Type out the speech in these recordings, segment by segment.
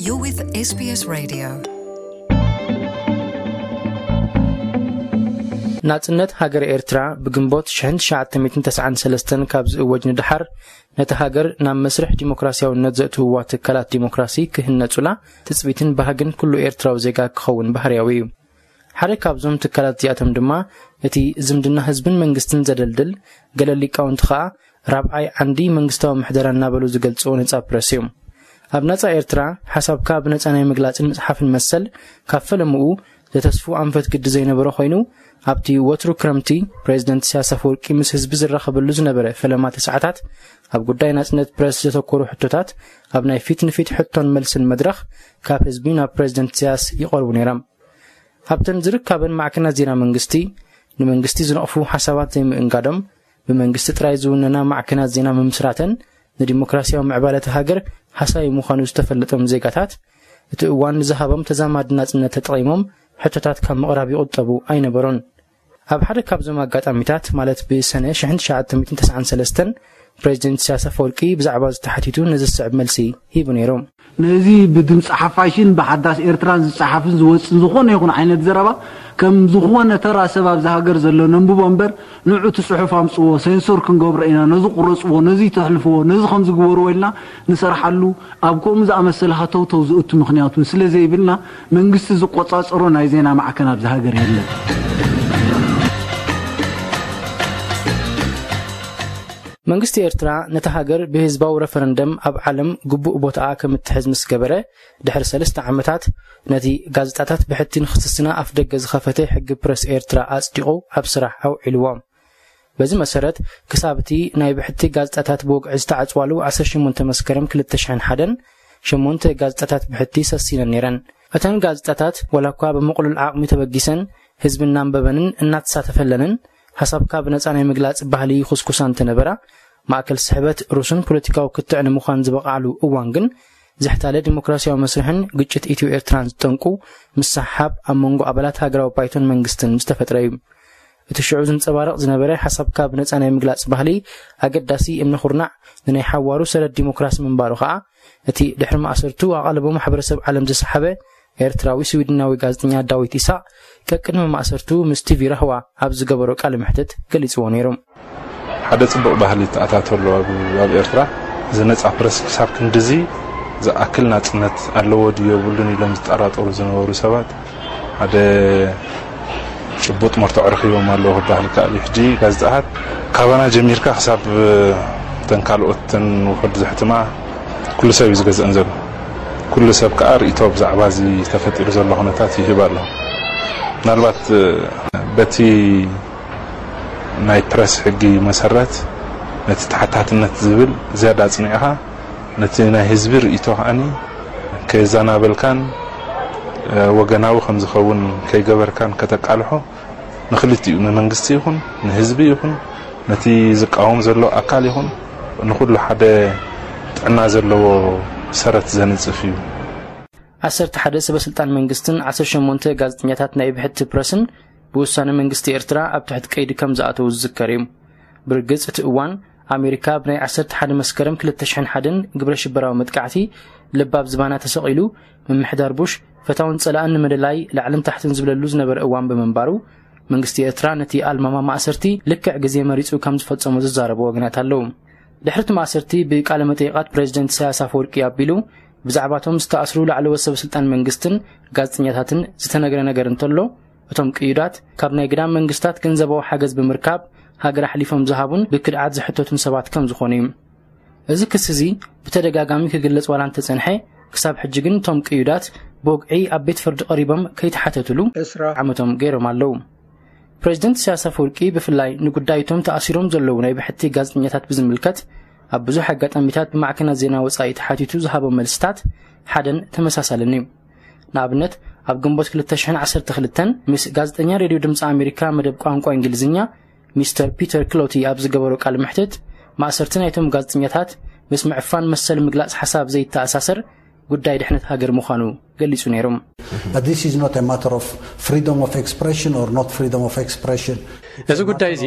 You're with S B S Radio. ናጽነት ሃገር ኤርትራ ብግንቦት ሽሕን ትሽዓተ ሚእትን ተስዓን ሰለስተን ካብ ዝእወጅ ንደሓር፣ ነቲ ሃገር ናብ መስርሕ ዲሞክራሲያውነት ዘእትውዋ ትካላት ዲሞክራሲ ክህነጹላ ትጽቢትን ባህግን ኩሉ ኤርትራዊ ዜጋ ክኸውን ባህርያዊ እዩ። ሓደ ካብዞም ትካላት እዚኣቶም ድማ፣ እቲ ዝምድና ህዝብን መንግስትን ዘደልድል፣ ገለ ሊቃውንቲ ኸኣ ራብዓይ ዓንዲ መንግስታዊ ምሕደራ እናበሉ ዝገልጽዎ ነጻ ፕረስ እዩ። ኣብ ናጻ ኤርትራ ሓሳብካ ብነጻ ናይ ምግላጽን ምጽሓፍን መሰል፣ ካብ ፈለምኡ ዘተስፉ ኣንፈት ግዲ ዘይነበሮ ኮይኑ፣ ኣብቲ ወትሩ ክረምቲ ፕሬዚደንት ኢሳያስ ኣፈወርቂ ምስ ህዝቢ ዝራኸበሉ ዝነበረ ፈለማቲ ሰዓታት፣ ኣብ ጉዳይ ናጽነት ፕረስ ዘተኮሩ ሕቶታት ኣብ ናይ ፊት ንፊት ሕቶን መልስን መድረኽ ካብ ህዝቢ ናብ ፕሬዚደንት ኢሳያስ ይቐርቡ ነይሮም። ኣብተን ዝርካበን ማዕከናት ዜና መንግስቲ፣ ንመንግስቲ ዝነቕፉ ሓሳባት ዘይምእንጋዶም፣ ብመንግስቲ ጥራይ ዝውነና ማዕከናት ዜና ምምስራተን፣ ንዲሞክራሲያዊ ምዕባለ እታ ሃገር ሃሳዩ ምዃኑ ዝተፈለጦም ዜጋታት፣ እቲ እዋን ንዝሃቦም ተዛማዲ ናጽነት ተጠቒሞም ሕቶታት ካብ ምቕራብ ይቑጠቡ ኣይነበሩን። ኣብ ሓደ ካብዞም ኣጋጣሚታት፣ ማለት ብሰነ ሽሕን ትሽዓተ ሚእትን ተስዓን ሰለስተን፣ ፕሬዚደንት ኢሳያስ ኣፈወርቂ ብዛዕባ ዝተሓቲቱ ነዚ ዝስዕብ መልሲ ሂቡ ነይሩ። ነዚ ብድምፂ ሓፋሽን ብሓዳስ ኤርትራን ዝፀሓፍን ዝወፅን ዝኾነ ይኹን ዓይነት ዘረባ ከም ዝኾነ ተራ ሰብ ኣብዚ ሃገር ዘሎ ነንብቦ እምበር፣ ንዑ እቲ ፅሑፍ ኣምፅዎ፣ ሴንሶር ክንገብሮ ኢና፣ ነዚ ቁረፅዎ፣ ነዚ ተሕልፍዎ፣ ነዚ ከምዚ ግበርዎ ኢልና ንሰርሓሉ፣ ኣብ ከምኡ ዝኣመሰለ ሃተውተው ዝእቱ ምኽንያት እውን ስለ ዘይብልና፣ መንግስቲ ዝቆፃፀሮ ናይ ዜና ማዕከን ኣብዚ ሃገር የለን። መንግስቲ ኤርትራ ነታ ሃገር ብህዝባዊ ረፈረንደም ኣብ ዓለም ግቡእ ቦታኣ ከም እትሕዝ ምስ ገበረ፣ ድሕሪ ሰለስተ ዓመታት ነቲ ጋዜጣታት ብሕቲ ንኽስስና ኣፍ ደገ ዝኸፈተ ሕጊ ፕረስ ኤርትራ ኣጽዲቑ ኣብ ስራሕ ኣውዒልዎ። በዚ መሰረት፣ ክሳብ እቲ ናይ ብሕቲ ጋዜጣታት ብወግዒ ዝተዓጽዋሉ ዓሰርተ ሸሞንተ መስከረም ክልተ ሽሕን ሓደን፣ ሸሞንተ ጋዜጣታት ብሕቲ ሰሲነን ነይረን። እተን ጋዜጣታት፣ ዋላ እኳ ብምቕሉል ዓቕሚ ተበጊሰን፣ ህዝቢ እናንበበንን እናተሳተፈለንን፣ ሓሳብካ ብነጻ ናይ ምግላጽ ባህሊ ይኹስኩሳ እንተነበራ፣ ማእከል ስሕበት ሩስን ፖለቲካዊ ክትዕ ንምዃን ዝበቕዓሉ እዋን ግን፣ ዝሕታለ ዲሞክራሲያዊ መስርሕን ግጭት ኢትዮ ኤርትራን ዝጠንቁ ምስሕሓብ ኣብ መንጎ ኣባላት ሃገራዊ ባይቶን መንግስትን ዝተፈጥረ እዩ። እቲ ሽዑ ዝንጸባረቕ ዝነበረ ሓሳብካ ብነጻ ናይ ምግላጽ ባህሊ ኣገዳሲ እምነ ኩርናዕ ንናይ ሓዋሩ ሰረት ዲሞክራሲ ምንባሩ ከኣ፣ እቲ ድሕሪ ማእሰርቱ ኣቓልቦ ማሕበረሰብ ዓለም ዝሰሓበ ኤርትራዊ ስዊድናዊ ጋዜጠኛ ዳዊት ኢሳቕ፣ ቀቅድሚ ማእሰርቱ ምስ ቲቪ ራህዋ ኣብ ዝገበሮ ቃለ መሕትት ገሊጽዎ ነይሩ። ሓደ ጽቡቕ ባህሊ ተኣታቶ ኣሎ ኣብ፣ ኣብ ኤርትራ። እዚ ነጻ ፕረስ ክሳብ ክንድዚ ዝኣክል ናጽነት ኣለዎ ድዩ የብሉን ኢሎም ዝጠራጠሩ ዝነበሩ ሰባት፣ ሓደ ጭቡጥ መርትዖ ረኺቦም ኣለዉ ክበሃል ይከኣል እዩ። ሕጂ ጋዜጣታት ካባና ጀሚርካ ክሳብ እተን ካልኦት እተን ውሑድ ዘሕትማ ኩሉ ሰብ እዩ ዝገዝአን ዘሎ። ኩሉ ሰብ ከኣ ርእይቶ ብዛዕባ እዚ ተፈጢሩ ዘሎ ኩነታት ይህብ ኣሎ። ምናልባት በቲ ናይ ፕረስ ሕጊ መሰረት ነቲ ተሓታትነት ዝብል ዝያዳ ኣጽኒዕኻ፣ ነቲ ናይ ህዝቢ ርእይቶ ከኣኒ ከየዘናበልካን፣ እ፣ ወገናዊ ከም ዝኸውን ከይገበርካን ከተቃልሖ ንክልቲኡ፣ ንመንግስቲ ይኹን ንህዝቢ ይኹን ነቲ ዝቃወም ዘሎ ኣካል ይኹን ንኹሉ ሓደ ጥዕና ዘለዎ ሰረት ዘንጽፍ እዩ። ዓሰርተ ሓደ ሰበ ስልጣን መንግስትን ዓሰርተ ሸሞንተ ጋዜጠኛታት ናይ ብሕቲ ፕረስን ብውሳነ መንግስቲ ኤርትራ ኣብ ትሕቲ ቀይዲ ከም ዝኣተዉ ዝዝከር እዩ። ብርግጽ እቲ እዋን ኣሜሪካ ብናይ ዓሰርተ ሓደ መስከረም ክልተ ሽሕን ሓደን ግብረ ሽበራዊ መጥቃዕቲ ልባብ ዝባና ተሰቒሉ፣ ምምሕዳር ቡሽ ፈታውን ጸላእን ንምልላይ ላዕልን ታሕትን ዝብለሉ ዝነበረ እዋን ብምንባሩ፣ መንግስቲ ኤርትራ ነቲ ኣልማማ ማእሰርቲ ልክዕ ግዜ መሪጹ ከም ዝፈጸሞ ዝዛረቡ ወገናት ኣለዉ። ድሕሪ እቲ ማእሰርቲ ብቃለ መጠይቓት ፕሬዚደንት ኢሳያስ ኣፈወርቂ ኣቢሉ ብዛዕባቶም ዝተኣስሩ ላዕለዎት ሰበ ስልጣን መንግስትን ጋዜጠኛታትን ዝተነግረ ነገር እንተሎ፣ እቶም ቅዩዳት ካብ ናይ ግዳም መንግስታት ገንዘባዊ ሓገዝ ብምርካብ ሃገር ኣሕሊፎም ዝሃቡን ብክድዓት ዝሕተቱን ሰባት ከም ዝኾኑ እዩ። እዚ ክሲ እዚ ብተደጋጋሚ ክግለጽ ዋላ እንተጸንሐ፣ ክሳብ ሕጂ ግን እቶም ቅዩዳት ብወግዒ ኣብ ቤት ፍርዲ ቀሪቦም ከይተሓተቱሉ ዕስራ ዓመቶም ገይሮም ኣለዉ። ፕሬዚደንት ኢሳያስ ኣፈወርቂ ብፍላይ ንጉዳይ እቶም ተኣሲሮም ዘለዉ ናይ ብሕቲ ጋዜጠኛታት ብዝምልከት ኣብ ብዙሕ ኣጋጣሚታት ብማዕከናት ዜና ወጻኢ ተሓቲቱ ዝሃቦም መልስታት ሓደን ተመሳሳልን እዩ። ንኣብነት፣ ኣብ ግንቦት ክልተ ሽሕን ዓሰርተ ክልተን ምስ ጋዜጠኛ ሬድዮ ድምፂ ኣሜሪካ መደብ ቋንቋ እንግሊዝኛ ሚስተር ፒተር ክሎቲ ኣብ ዝገበሮ ቃለ መሕትት፣ ማእሰርቲ ናይቶም ጋዜጠኛታት ምስ ምዕፋን መሰል ምግላጽ ሓሳብ ዘይተኣሳሰር ጉዳይ ድሕነት ሃገር ምዃኑ ገሊጹ ነይሩ። But this is not a matter of freedom of expression or not freedom of expression. እዚ ጉዳይ እዚ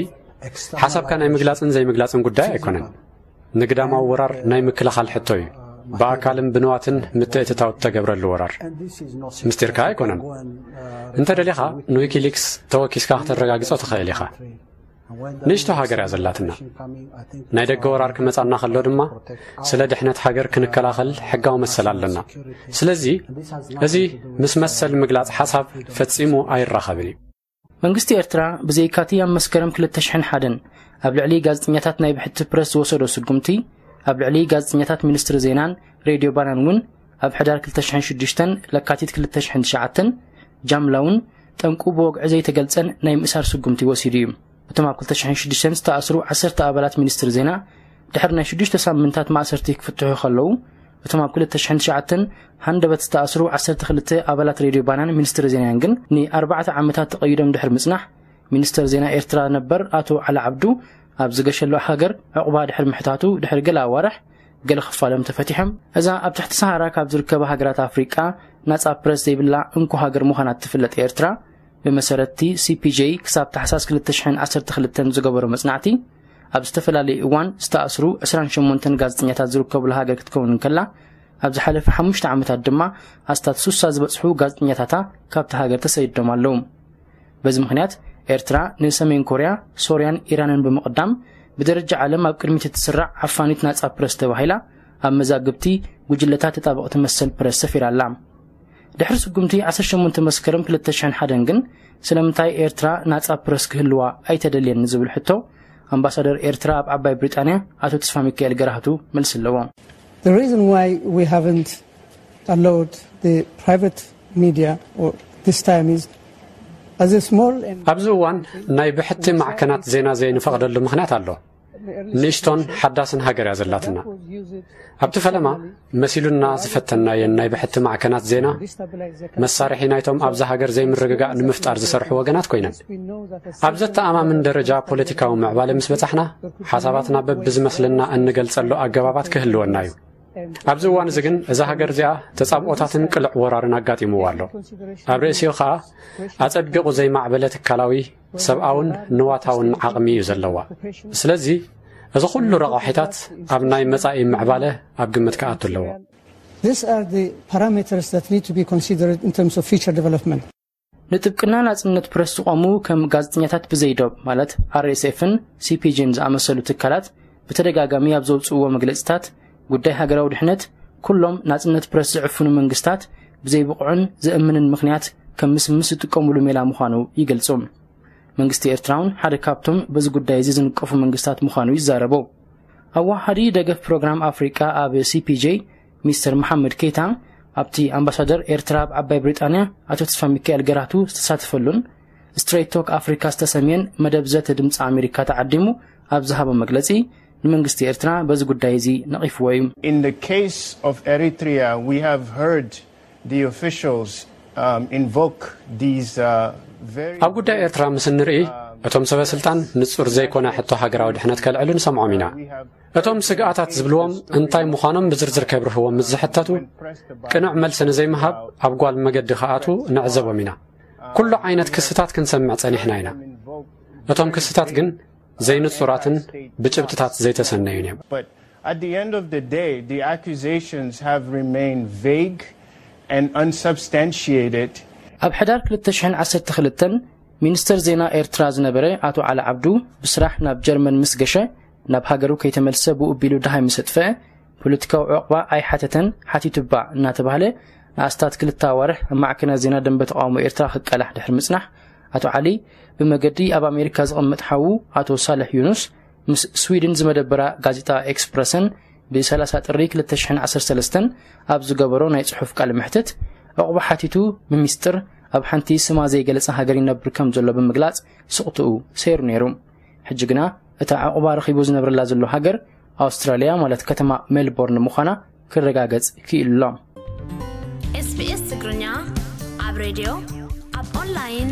ሓሳብካ ናይ ምግላጽን ዘይምግላጽን ጉዳይ ኣይኮነን። ንግዳማዊ ወራር ናይ ምክልኻል ሕቶ እዩ። ብኣካልን ብንዋትን ምትእትታው እተገብረሉ ወራር ምስጢርካ ኣይኮነን። እንተ ደሊኻ ንዊኪሊክስ ተወኪስካ ከተረጋግጾ ትኽእል ኢኻ። ንእሽቶ ሃገር እያ ዘላትና። ናይ ደገ ወራር ክመጻና ከሎ ድማ ስለ ድሕነት ሃገር ክንከላኸል ሕጋዊ መሰል ኣለና። ስለዚ እዚ ምስ መሰል ምግላጽ ሓሳብ ፈጺሙ ኣይራኸብን እዩ። መንግስቲ ኤርትራ ብዘይካቲ ኣብ መስከረም ክልተ ሽሕን ሓደን ኣብ ልዕሊ ጋዜጠኛታት ናይ ብሕቲ ፕረስ ዝወሰዶ ስጉምቲ፣ ኣብ ልዕሊ ጋዜጠኛታት ሚኒስትሪ ዜናን ሬድዮ ባናን እውን ኣብ ሕዳር ክልተ ሽሕን ሽዱሽተን ለካቲት ክልተ ሽሕን ትሽዓተን ጃምላውን ጠንቁ ብወግዒ ዘይተገልጸን ናይ ምእሳር ስጉምቲ ወሲዱ እዩ። እቶም ኣብ ክልተ ሽሕን ሽዱሽተን ዝተኣስሩ ዓሰርተ ኣባላት ሚኒስትሪ ዜና ድሕሪ ናይ ሽዱሽተ ሳምንታት ማእሰርቲ ክፍትሑ ከለዉ፣ እቶም ኣብ ክልተ ሽሕን ትሽዓተን ሃንደበት ዝተኣስሩ ዓሰርተ ክልተ ኣባላት ሬድዮ ባናን ሚኒስትሪ ዜናን ግን ንኣርባዕተ ዓመታት ተቐይዶም ድሕሪ ምጽናሕ፣ ሚኒስተር ዜና ኤርትራ ነበር ኣቶ ዓሊ ዓብዱ ኣብ ዝገሸሉ ሃገር ዕቑባ ድሕሪ ምሕታቱ ድሕሪ ገለ ኣዋርሕ ገለ ክፋሎም ተፈቲሖም። እዛ ኣብ ትሕቲ ሰሃራ ካብ ዝርከባ ሃገራት ኣፍሪቃ ናጻ ፕረስ ዘይብላ እንኮ ሃገር ምዃና እትፍለጥ ኤርትራ፣ ብመሰረትቲ ሲፒጄ ክሳብ ታሕሳስ ክልተ ሽሕን ዓሰርተ ክልተን ዝገበሮ መጽናዕቲ፣ ኣብ ዝተፈላለዩ እዋን ዝተኣስሩ ዕስራን ሸሞንተን ጋዜጠኛታት ዝርከቡላ ሃገር ክትከውን እንከላ፣ ኣብ ዝሓለፈ ሓሙሽተ ዓመታት ድማ ኣስታት ሱሳ ዝበጽሑ ጋዜጠኛታታ ካብቲ ሃገር ተሰዲዶም ኣለዉ። በዚ ምኽንያት ኤርትራ ንሰሜን ኮርያ፣ ሶርያን ኢራንን ብምቕዳም ብደረጃ ዓለም ኣብ ቅድሚት እትስራዕ ዓፋኒት ናጻ ፕረስ ተባሂላ ኣብ መዛግብቲ ጉጅለታት ተጣበቕቲ መሰል ፕረስ ሰፊራ ኣላ። ድሕሪ ስጉምቲ ዓሰርተ ሸሞንተ መስከረም ክልተ ሽሕን ሓደን ግን ስለምንታይ ኤርትራ ናጻ ፕረስ ክህልዋ ኣይተደልየን ንዝብል ሕቶ ኣምባሳደር ኤርትራ ኣብ ዓባይ ብሪጣንያ ኣቶ ተስፋ ሚካኤል ገራህቱ መልሲ ኣለዎ። The reason why we haven't allowed the private media or this time is as a small and ኣብዚ እዋን ናይ ብሕቲ ማዕከናት ዜና ዘይንፈቕደሉ ምኽንያት ኣሎ። ንእሽቶን ሓዳስን ሃገር እያ ዘላትና። ኣብቲ ፈለማ መሲሉና ዝፈተናየን ናይ ብሕቲ ማዕከናት ዜና መሳርሒ ናይቶም ኣብዛ ሃገር ዘይምርግጋእ ንምፍጣር ዝሰርሑ ወገናት ኮይነን፣ ኣብ ዘተኣማምን ደረጃ ፖለቲካዊ ምዕባለ ምስ በጻሕና፣ ሓሳባትና በብዝመስለና እንገልጸሉ ኣገባባት ክህልወና እዩ። ኣብዚ እዋን እዚ ግን እዛ ሃገር እዚኣ ተጻብኦታትን ቅልዕ ወራርን ኣጋጢምዋ ኣሎ። ኣብ ርእሲኡ ኸኣ ኣጸቢቑ ዘይማዕበለ ትካላዊ፣ ሰብኣውን ንዋታውን ዓቕሚ እዩ ዘለዋ። ስለዚ እዚ ኩሉ ረቋሒታት ኣብ ናይ መጻኢ ምዕባለ ኣብ ግምት ክኣቱ ኣለዎ። These are the parameters that need to be considered in terms of future development. ንጥብቅና ናጽነት ፕረስ ዝቖሙ ከም ጋዜጠኛታት ብዘይዶብ ማለት ኣርኤስኤፍን ሲፒጂን ዝኣመሰሉ ትካላት ብተደጋጋሚ ኣብ ዘውጽእዎ መግለጽታት፣ ጉዳይ ሃገራዊ ድሕነት ኩሎም ናጽነት ፕረስ ዝዕፍኑ መንግስታት ብዘይብቑዕን ዘእምንን ምኽንያት ከም ምስምስ ዝጥቀሙሉ ሜላ ምዃኑ ይገልጹ። መንግስቲ ኤርትራ እውን ሓደ ካብቶም በዚ ጉዳይ እዚ ዝንቀፉ መንግስታት ምዃኑ ይዛረቡ። ኣዋሃዲ ደገፍ ፕሮግራም ኣፍሪቃ ኣብ ሲፒጄ ሚስተር መሓመድ ኬታ ኣብቲ ኣምባሳደር ኤርትራ ኣብ ዓባይ ብሪጣንያ ኣቶ ተስፋ ሚካኤል ገራህቱ ዝተሳተፈሉን ስትሬት ቶክ ኣፍሪካ ዝተሰምየን መደብ ዘተ ድምፂ ኣሜሪካ ተዓዲሙ ኣብ ዝሃቦ መግለፂ፣ ንመንግስቲ ኤርትራ በዚ ጉዳይ እዚ ነቒፍዎ እዩ። In the case of Eritrea, we have heard the officials um, invoke these uh, very ኣብ ጉዳይ ኤርትራ ምስ እንርኢ፣ እቶም ሰበ ስልጣን ንጹር ዘይኮነ ሕቶ ሃገራዊ ድሕነት ከልዕሉ ንሰምዖም ኢና። እቶም ስግኣታት ዝብልዎም እንታይ ምዃኖም ብዝርዝር ከብርህዎም ምስ ዝሕተቱ፣ ቅኑዕ መልሲ ንዘይምሃብ ኣብ ጓል መገዲ ክኣትዉ ንዕዘቦም ኢና። ኩሉ ዓይነት ክስታት ክንሰምዕ ጸኒሕና ኢና። እቶም ክስታት ግን ዘይንጹራትን ብጭብጥታት ዘይተሰነዩን እዮም። But at the end of the day, the accusations have remained vague and unsubstantiated. ኣብ ሕዳር ክልተ ሽሕን ዓሰርተ ክልተን ሚኒስተር ዜና ኤርትራ ዝነበረ ኣቶ ዓሊ ዓብዱ ብስራሕ ናብ ጀርመን ምስ ገሸ፣ ናብ ሃገሩ ከይተመልሰ ብኡ ቢሉ ደሃይ ምስ ኣጥፍአ፣ ፖለቲካዊ ዕቕባ ኣይሓተተን፣ ሓቲቱ እባ እናተባህለ ንኣስታት ክልተ ኣዋርሕ ኣብ ማዕከናት ዜና ደንበ ተቓውሞ ኤርትራ ክቀላሕ ድሕሪ ምጽናሕ፣ ኣቶ ዓሊ ብመገዲ ኣብ ኣሜሪካ ዝቕመጥ ሓዉ ኣቶ ሳልሕ ዩኑስ ምስ ስዊድን ዝመደበራ ጋዜጣ ኤክስፕረሰን ብ ሰላሳ ጥሪ ክልተ ሽሕን ዓሰርተ ሰለስተን ኣብ ዝገበሮ ናይ ጽሑፍ ቃለ መሕትት፣ ዕቑባ ሓቲቱ ብሚስጥር ኣብ ሓንቲ ስማ ዘይገለጸ ሃገር ይነብር ከም ዘሎ ብምግላጽ ስቕትኡ ሰይሩ ነይሩ። ሕጂ ግና እታ ዕቑባ ረኺቡ ዝነብረላ ዘሎ ሃገር ኣውስትራልያ ማለት ከተማ ሜልቦርን ምዃና ክረጋገጽ ክኢሉ ኣሎ። ኤስቢኤስ ትግርኛ ኣብ ሬድዮ፣ ኣብ ኦንላይን፣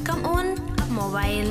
ከምኡውን ኣብ ሞባይል።